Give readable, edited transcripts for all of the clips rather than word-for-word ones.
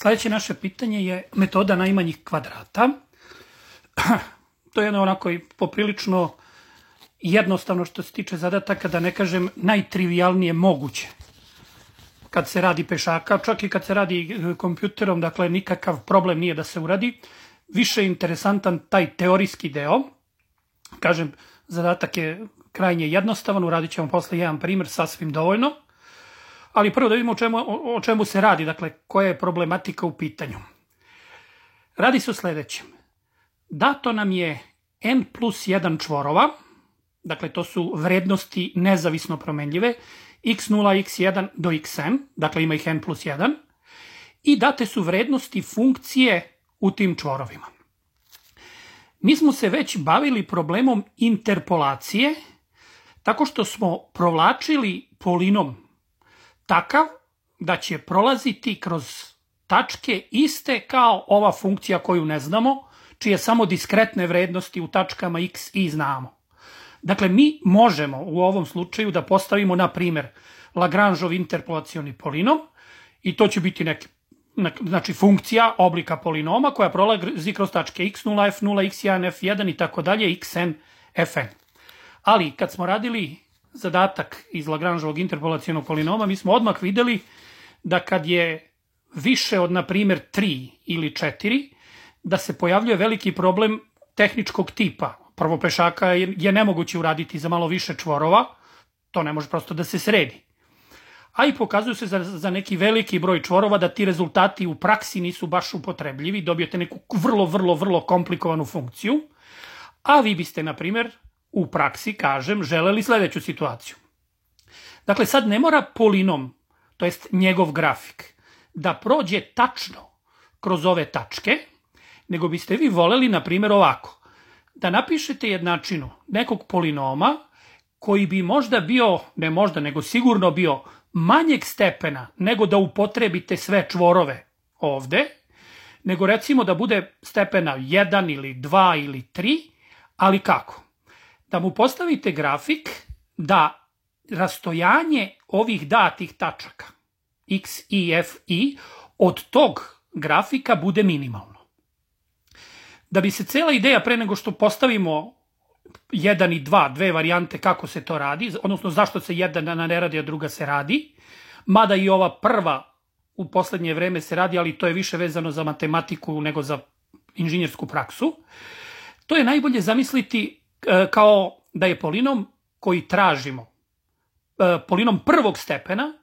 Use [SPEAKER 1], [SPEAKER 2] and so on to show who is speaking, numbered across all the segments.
[SPEAKER 1] Sljedeće naše pitanje je metoda najmanjih kvadrata. To je jedno onako i poprilično jednostavno što se tiče zadataka, da ne kažem najtrivijalnije moguće. Kad se radi pešaka, čak i kad se radi kompjuterom, dakle nikakav problem nije da se uradi. Više je interesantan taj teorijski deo. Kažem, zadatak je krajnje jednostavan, uradit ćemo posle jedan primjer, sasvim dovoljno. Ali prvo da vidimo o čemu se radi, dakle koja je problematika u pitanju. Radi se o sljedećem. Dato nam je n plus 1 čvorova, dakle to su vrednosti nezavisno promenljive, x0, x1 do xn, dakle ima ih n plus 1, i date su vrednosti funkcije u tim čvorovima. Mi smo se već bavili problemom interpolacije, tako što smo provlačili polinom takav da će prolaziti kroz tačke iste kao ova funkcija koju ne znamo, čije samo diskretne vrednosti u tačkama x i znamo. Dakle, mi možemo u ovom slučaju da postavimo, na primjer, Lagrangeov interpolacioni polinom i to će biti znači funkcija oblika polinoma koja prolazi kroz tačke x0, f0, x1, f1 i tako dalje, xn, fn. Ali kad smo radili zadatak iz Lagrangeovog interpolacionog polinoma, mi smo odmah vidjeli da kad je više od, na primjer, 3 ili 4, da se pojavljuje veliki problem tehničkog tipa. Prvo, pešaka je nemoguće uraditi za malo više čvorova, to ne može prosto da se sredi. A i pokazuju se za neki veliki broj čvorova da ti rezultati u praksi nisu baš upotrebljivi, dobijete neku vrlo komplikovanu funkciju, a vi biste, na primjer, u praksi, kažem, želeli sljedeću situaciju. Dakle, sad ne mora polinom, to jest njegov grafik, da prođe tačno kroz ove tačke, nego biste vi voleli, na primjer, ovako, da napišete jednačinu nekog polinoma koji bi možda bio, ne možda, nego sigurno bio manjeg stepena nego da upotrebite sve čvorove ovde, nego recimo da bude stepena 1 ili 2 ili 3, ali kako? Da mu postavite grafik da rastojanje ovih datih tačaka x, i, f, i od tog grafika bude minimalno. Da bi se cela ideja, pre nego što postavimo 1 i 2, dve varijante kako se to radi, odnosno zašto se jedna ne radi, a druga se radi, mada i ova prva u poslednje vreme se radi, ali to je više vezano za matematiku nego za inženjersku praksu, to je najbolje zamisliti kao da je polinom koji tražimo polinom prvog stepena,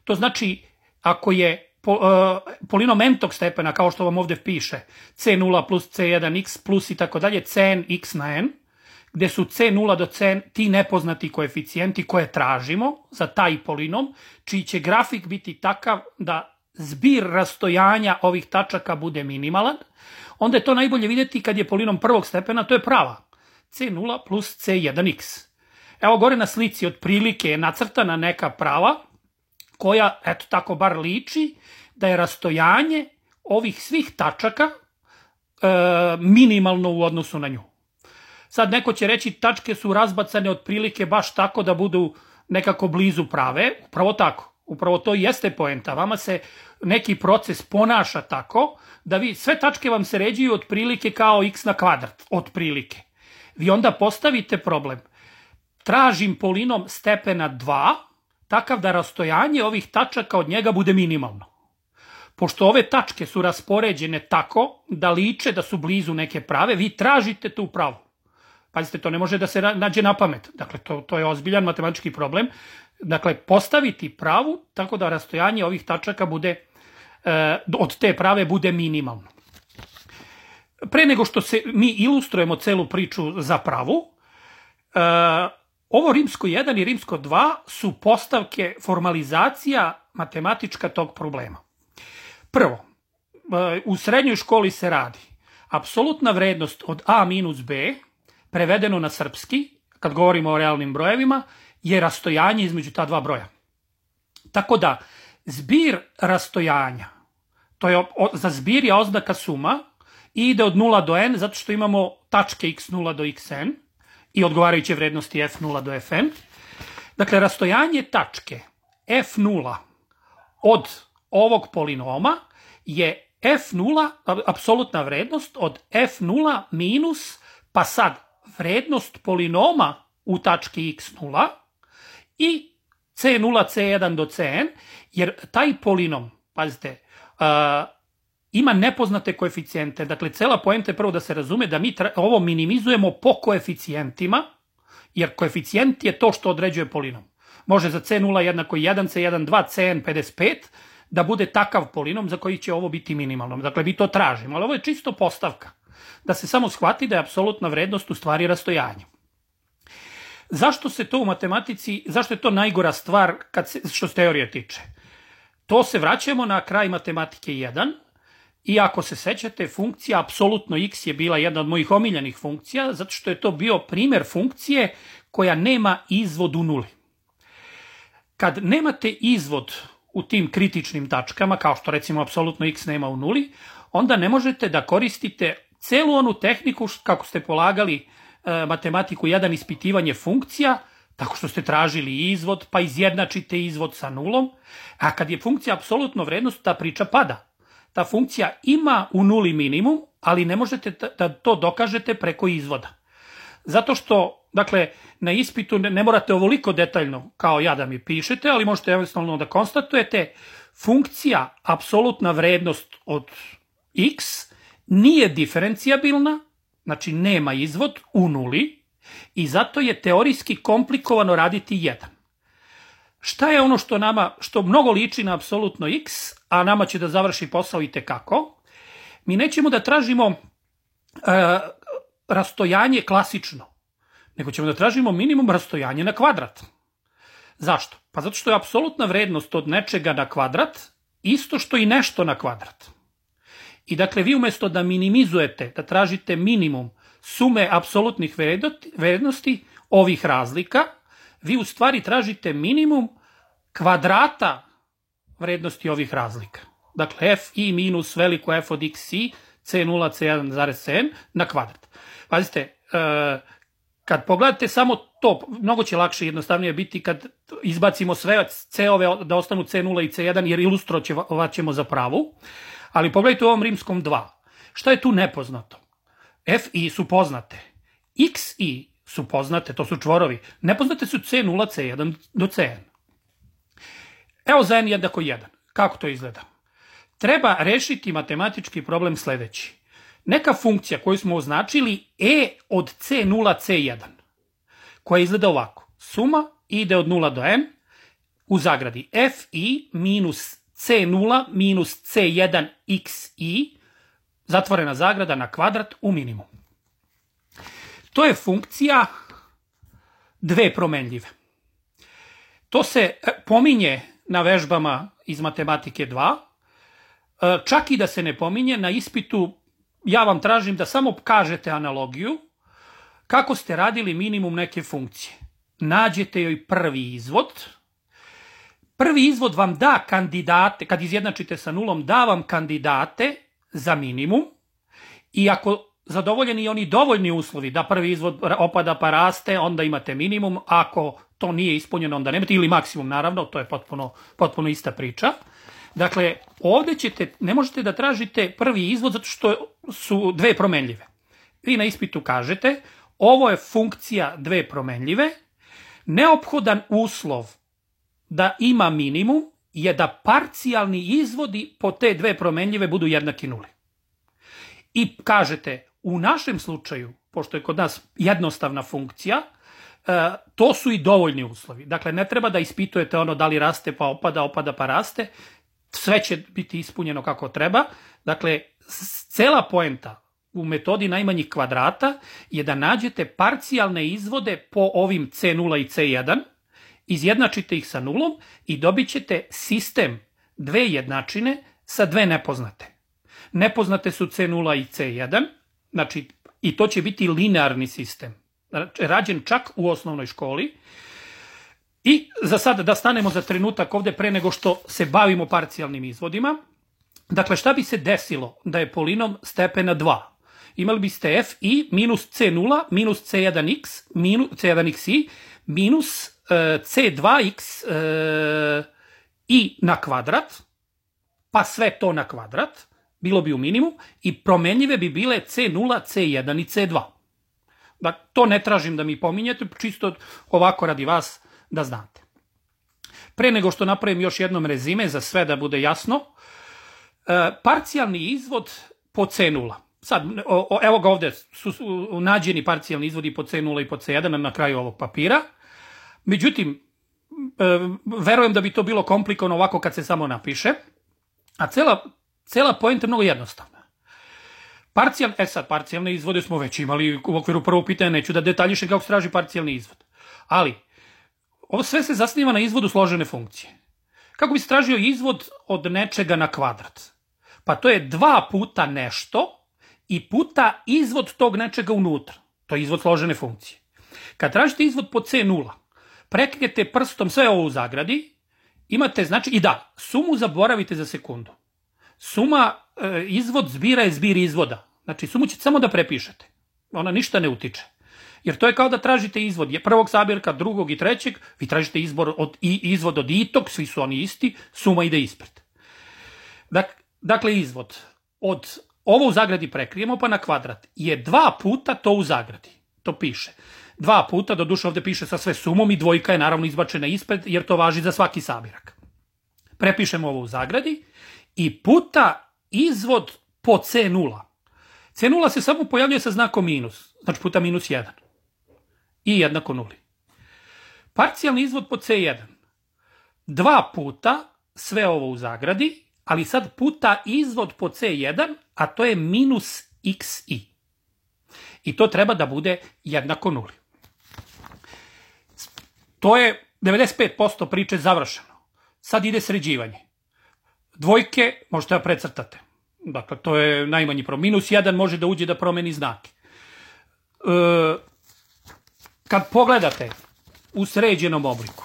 [SPEAKER 1] to znači ako je polinom n-tog stepena, kao što vam ovde piše, c0 plus c1x plus i tako dalje, cn x na n, gde su c0 do cn ti nepoznati koeficijenti koje tražimo za taj polinom, čiji će grafik biti takav da zbir rastojanja ovih tačaka bude minimalan, onda je to najbolje vidjeti kad je polinom prvog stepena, to je prava, c0 plus c1x. Evo gore na slici otprilike je nacrtana neka prava koja, eto tako bar liči, da je rastojanje ovih svih tačaka minimalno u odnosu na nju. Sad neko će reći tačke su razbacane otprilike baš tako da budu nekako blizu prave, upravo tako. Upravo to jeste poenta. Vama se neki proces ponaša tako da vi sve tačke vam se ređuju otprilike kao x na kvadrat, otprilike. Vi onda postavite problem. Tražim polinom stepena 2, takav da rastojanje ovih tačaka od njega bude minimalno. Pošto ove tačke su raspoređene tako da liče da su blizu neke prave, vi tražite tu pravu. Pazite, to ne može da se nađe na pamet. Dakle, to je ozbiljan matematički problem. Dakle, postaviti pravu tako da rastojanje ovih tačaka bude, od te prave bude minimalno. Pre nego što mi ilustrujemo celu priču za pravu, ovo rimsko 1 i rimsko 2 su postavke, formalizacija matematička tog problema. Prvo, u srednjoj školi se radi apsolutna vrednost od a minus b, prevedeno na srpski, kad govorimo o realnim brojevima, je rastojanje između ta dva broja. Tako da, zbir rastojanja, za zbir je oznaka suma i ide od 0 do n, zato što imamo tačke x0 do xn i odgovarajuće vrednosti f0 do fn. Dakle, rastojanje tačke f0 od ovog polinoma je f0, apsolutna vrednost od f0 minus, pa sad vrednost polinoma u tački x0 i c0, c1 do cn, jer taj polinom, pazite, ima nepoznate koeficijente. Dakle, cela poenta je prvo da se razume da mi ovo minimizujemo po koeficijentima, jer koeficijent je to što određuje polinom. Može za c0 jednako 1, c1 2, cn 55 da bude takav polinom za koji će ovo biti minimalno. Dakle, mi to tražimo, ali ovo je čisto postavka. Da se samo shvati da je apsolutna vrednost u stvari rastojanje. Zašto se to u matematici, zašto je to najgora stvar što se teorije tiče? To se vraćamo na kraj matematike 1 i ako se sećate, funkcija apsolutno x je bila jedna od mojih omiljenih funkcija, zato što je to bio primer funkcije koja nema izvod u nuli. Kad nemate izvod u tim kritičnim tačkama, kao što recimo apsolutno x nema u nuli, onda ne možete da koristite celu onu tehniku kako ste polagali matematiku 1 ispitivanje funkcija, tako što ste tražili izvod, pa izjednačite izvod sa nulom, a kad je funkcija apsolutno vrednost, ta priča pada. Ta funkcija ima u nuli minimum, ali ne možete da to dokažete preko izvoda. Zato što, dakle, na ispitu ne morate ovoliko detaljno kao ja da mi pišete, ali možete jednostavno da konstatujete funkcija apsolutna vrednost od x nije diferencijabilna, znači nema izvod u nuli i zato je teorijski komplikovano raditi 1. Šta je ono što mnogo liči na apsolutno x, a nama će da završi posao i tekako? Mi nećemo da tražimo rastojanje klasično, nego ćemo da tražimo minimum rastojanje na kvadrat. Zašto? Pa zato što je apsolutna vrednost od nečega na kvadrat isto što i nešto na kvadrat. I dakle, vi umjesto da minimizujete, da tražite minimum sume apsolutnih vrednosti ovih razlika, vi u stvari tražite minimum kvadrata vrednosti ovih razlika. Dakle, f i minus veliko f od x i c0, c1 cn na kvadrat. Pazite, kad pogledate samo to, mnogo će lakše i jednostavnije biti kad izbacimo sve c-ove da ostanu c0 i c1, jer ilustrovat ćemo za pravu. Ali pogledajte u ovom rimskom 2. Šta je tu nepoznato? F i su poznate. X i su poznate, to su čvorovi. Nepoznate su c0, c1 do cn. Evo za n jednako 1. Kako to izgleda? Treba rešiti matematički problem sledeći. Neka funkcija koju smo označili e od c0, c1, koja izgleda ovako. Suma ide od 0 do n, u zagradi f i minus c0 minus c1 x i, zatvorena zagrada na kvadrat u minimum. To je funkcija dve promenljive. To se pominje na vežbama iz matematike 2, čak i da se ne pominje na ispitu, ja vam tražim da samo kažete analogiju kako ste radili minimum neke funkcije. Nađete joj prvi izvod. Prvi izvod vam da kandidate, kad izjednačite sa nulom, da vam kandidate za minimum i ako zadovoljeni oni dovoljni uslovi da prvi izvod opada pa raste, onda imate minimum, ako to nije ispunjeno onda nemate, ili maksimum naravno, to je potpuno ista priča. Dakle, ovdje ne možete da tražite prvi izvod zato što su dve promenljive. Vi na ispitu kažete, ovo je funkcija dve promenljive, neophodan uslov da ima minimum je da parcijalni izvodi po te dve promenljive budu jednaki nuli. I kažete, u našem slučaju, pošto je kod nas jednostavna funkcija, to su i dovoljni uslovi. Dakle, ne treba da ispitujete ono da li raste pa opada, opada pa raste, sve će biti ispunjeno kako treba. Dakle, cela poenta u metodi najmanjih kvadrata je da nađete parcijalne izvode po ovim c0 i c1, izjednačite ih sa nulom i dobit ćete sistem dve jednačine sa dve nepoznate. Nepoznate su c0 i c1, znači i to će biti linearni sistem, rađen čak u osnovnoj školi. I za sad da stanemo za trenutak ovdje pre nego što se bavimo parcijalnim izvodima. Dakle, šta bi se desilo da je polinom stepena 2? Imali biste f i minus c0 minus c1xi minus c2x i na kvadrat pa sve to na kvadrat, bilo bi u minimum, i promenljive bi bile C0, C1 i C2. Da, to ne tražim da mi pominjete, čisto ovako radi vas da znate. Pre nego što napravim još jednom rezime, za sve da bude jasno, parcijalni izvod po C0. Sad, evo ga ovde su nađeni parcijalni izvodi po C0 i po C1 na kraju ovog papira. Međutim, verujem da bi to bilo komplikovano ovako kad se samo napiše, a cela poenta je mnogo jednostavna. Parcijalne izvode smo već imali u okviru prvog pitanja, neću da detaljišem kako se traži parcijalni izvod. Ali, ovo sve se zasniva na izvodu složene funkcije. Kako bi se tražio izvod od nečega na kvadrat? Pa to je 2 puta nešto i puta izvod tog nečega unutra. To je izvod složene funkcije. Kad tražite izvod po C0, prekrijete prstom sve ovo u zagradi, imate, znači, i da, sumu zaboravite za sekundu. Suma izvod zbira je zbir izvoda. Znači, sumu ćete samo da prepišete. Ona ništa ne utiče. Jer to je kao da tražite izvod prvog sabirka, drugog i trećeg, vi tražite izvod od itog, svi su oni isti, suma ide ispred. Dakle, izvod od ovo u zagradi prekrijemo pa na kvadrat je 2 puta to u zagradi. To piše. 2 puta, doduše ovde piše sa sve sumom i dvojka je naravno izbačena ispred jer to važi za svaki sabirak. Prepišemo ovo u zagradi i puta izvod po C0. C0 se samo pojavljuje sa znakom minus, znači puta minus 1. I jednako 0. Parcijalni izvod po C1. 2 puta sve ovo u zagradi, ali sad puta izvod po C1, a to je minus xi. I to treba da bude jednako 0. To je 95% priče završeno. Sad ide sređivanje. Dvojke možete da precrtate. Dakle, to je najmanji problem. Minus 1 može da uđe da promeni znake. Kad pogledate u sređenom obliku,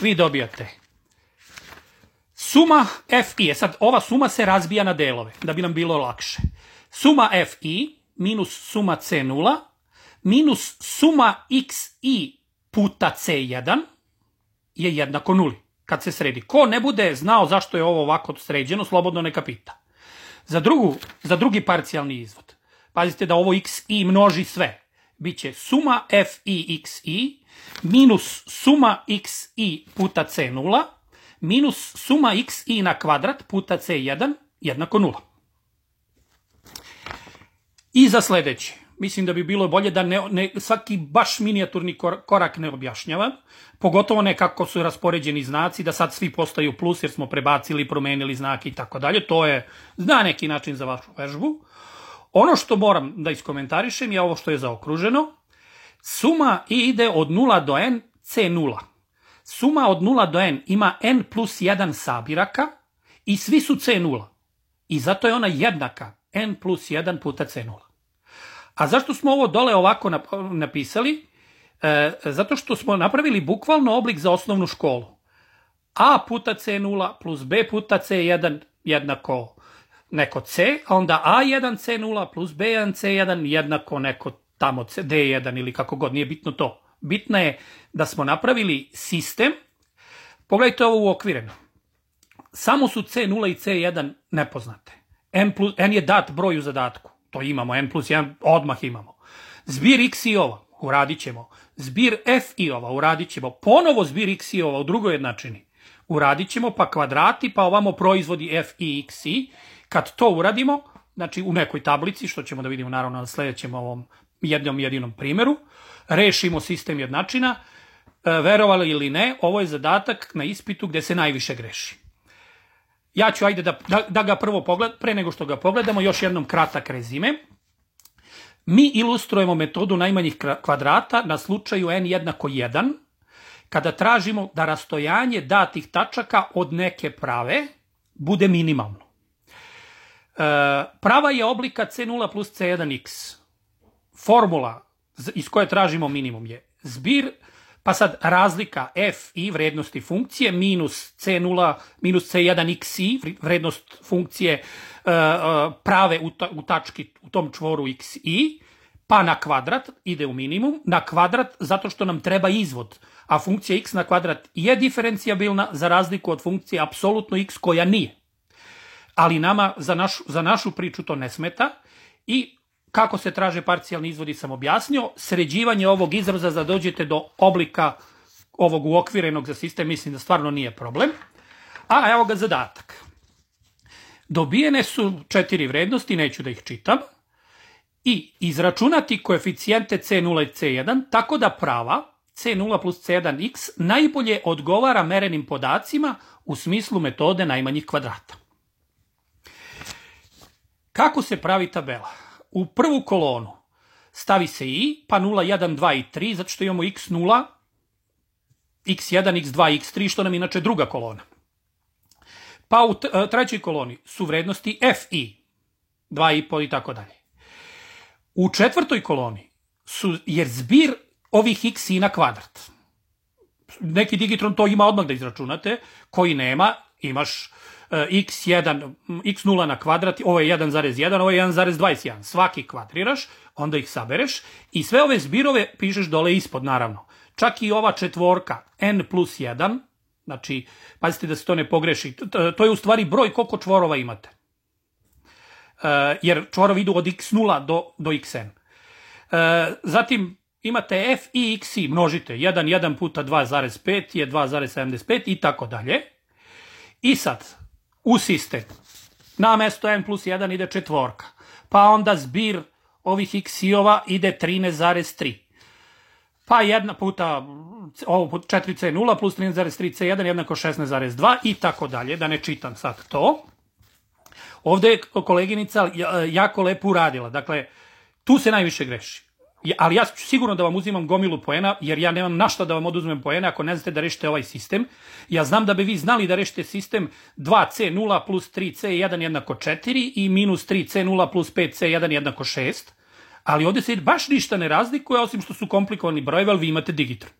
[SPEAKER 1] vi dobijate suma fi. Sad, ova suma se razbija na delove, da bi nam bilo lakše. Suma fi minus suma c0 minus suma xi puta c1 je jednako 0. Kad se sredi. Ko ne bude znao zašto je ovo ovako sređeno, slobodno neka pita. Za drugi parcijalni izvod. Pazite da ovo xi množi sve. Biće suma fi xi minus suma xi puta c0 minus suma xi na kvadrat puta c1 jednako 0. I za sledeći. Mislim da bi bilo bolje da svaki baš minijaturni korak ne objašnjavam, pogotovo ne kako su raspoređeni znaci, da sad svi postaju plus jer smo prebacili, promenili znake i tako dalje. To je na neki način za vašu vežbu. Ono što moram da iskomentarišem je ovo što je zaokruženo. Suma ide od 0 do n c0. Suma od 0 do n ima n plus 1 sabiraka i svi su c0. I zato je ona jednaka n plus 1 puta c0. A zašto smo ovo dole ovako napisali? Zato što smo napravili bukvalno oblik za osnovnu školu. A puta c0 plus b puta c1 jednako neko c, a onda a1 c0 plus b1 c1 jednako neko tamo d1 ili kako god, nije bitno to. Bitno je da smo napravili sistem. Pogledajte ovo uokvireno. Samo su c0 i c1 nepoznate. N je dat broj u zadatku. To imamo, n plus 1 odmah imamo. Zbir x i ova, uradit ćemo. Zbir f i ova, uradit ćemo. Ponovo zbir x i ova u drugoj jednačini. Uradit ćemo, pa kvadrati, pa ovamo proizvodi f i x i. Kad to uradimo, znači u nekoj tablici, što ćemo da vidimo naravno na sledećem ovom jedinom primjeru, rešimo sistem jednačina, verovali ili ne, ovo je zadatak na ispitu gde se najviše greši. Ja ću, ajde da ga prvo pogledam, pre nego što ga pogledamo, još jednom kratak rezime. Mi ilustrujemo metodu najmanjih kvadrata na slučaju n jednako 1, kada tražimo da rastojanje datih tačaka od neke prave bude minimalno. Prava je oblika c0 plus c1x. Formula iz koje tražimo minimum je zbir, pa sad razlika f i vrednosti funkcije minus c0 minus c1xi, vrednost funkcije prave u tački u tom čvoru xi, pa na kvadrat ide u minimum, na kvadrat zato što nam treba izvod, a funkcija x na kvadrat je diferencijabilna za razliku od funkcije apsolutno x koja nije. ali nama za našu priču to ne smeta. I kako se traže parcijalni izvodi sam objasnio. Sređivanje ovog izraza da dođete do oblika ovog uokvirenog za sistem, mislim da stvarno nije problem. A evo ga zadatak. Dobijene su 4 vrednosti, neću da ih čitam, i izračunati koeficijente C0 i C1 tako da prava C0 plus C1x najbolje odgovara merenim podacima u smislu metode najmanjih kvadrata. Kako se pravi tabela? U prvu kolonu stavi se i, pa 0, 1, 2 i 3, zato što imamo x0, x1, x2, x3, što nam inače druga kolona. Pa u trećoj koloni su vrednosti f i, 2,5 i tako dalje. U četvrtoj koloni je zbir ovih x i na kvadrat. Neki digitron to ima odmah da izračunate, koji nema, imaš x1, x0 na kvadrat, ovo je 1,1, ovo je 1,21. Svaki kvadriraš, onda ih sabereš i sve ove zbirove pišeš dole ispod, naravno. Čak i ova četvorka, n plus 1, znači, pazite da se to ne pogreši, to je u stvari broj koliko čvorova imate. Jer čvorovi idu od x0 do xn. Zatim imate f i x i, množite, 1 puta 2,5 je 2,75 i tako dalje. I sad, u sistem, na mesto n plus 1 ide četvorka, pa onda zbir ovih x-ova ide 13,3. Pa 1 puta, ovo 4c0 plus 13,3c1 jednako 16,2 i tako dalje, da ne čitam sad to. Ovde je koleginica jako lepo uradila, dakle, tu se najviše greši. Ali ja ću sigurno da vam uzimam gomilu poena, jer ja nemam na šta da vam oduzmem poena ako ne znate da rešite ovaj sistem. Ja znam da bi vi znali da rešite sistem 2c0 plus 3c1 jednako 4 i minus 3c0 plus 5c1 jednako 6, ali ovde se baš ništa ne razlikuje, osim što su komplikovani brojevi, ali vi imate digitron.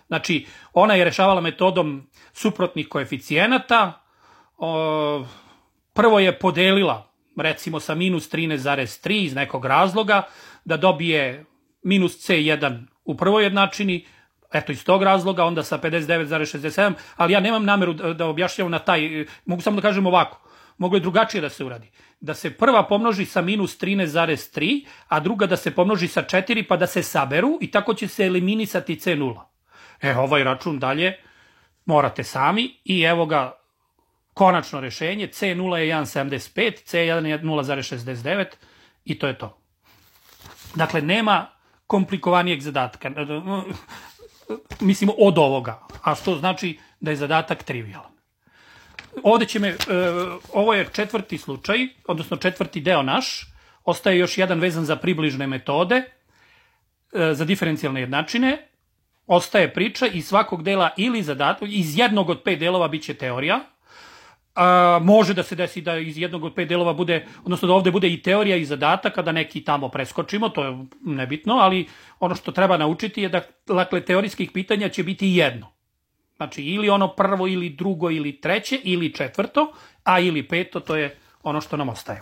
[SPEAKER 1] Znači, ona je rešavala metodom suprotnih koeficijenata, prvo je podelila, recimo sa minus 13,3 iz nekog razloga, da dobije minus C1 u prvoj jednačini, eto iz tog razloga, onda sa 59,67, ali ja nemam nameru da objašnjavam na taj, mogu samo da kažem ovako, moglo je drugačije da se uradi. Da se prva pomnoži sa minus 13,3, a druga da se pomnoži sa 4, pa da se saberu i tako će se eliminisati C0. Ovaj račun dalje morate sami i evo ga konačno rešenje, C0 je 1,75, C1 je 0,69 i to je to. Dakle, nema komplikovanijeg zadatka, mislim od ovoga, a što znači da je zadatak trivialan. Ovde ovo je četvrti slučaj, odnosno četvrti deo naš, ostaje još jedan vezan za približne metode, za diferencijalne jednačine, ostaje priča iz svakog dela ili zadatak, iz jednog od 5 delova biće teorija, može da se desi da iz jednog od 5 delova bude, odnosno da ovde bude i teorija i zadatak, da neki tamo preskočimo, to je nebitno, ali ono što treba naučiti je da, dakle, teorijskih pitanja će biti jedno. Znači, ili ono prvo, ili drugo, ili treće, ili četvrto, a ili peto, to je ono što nam ostaje.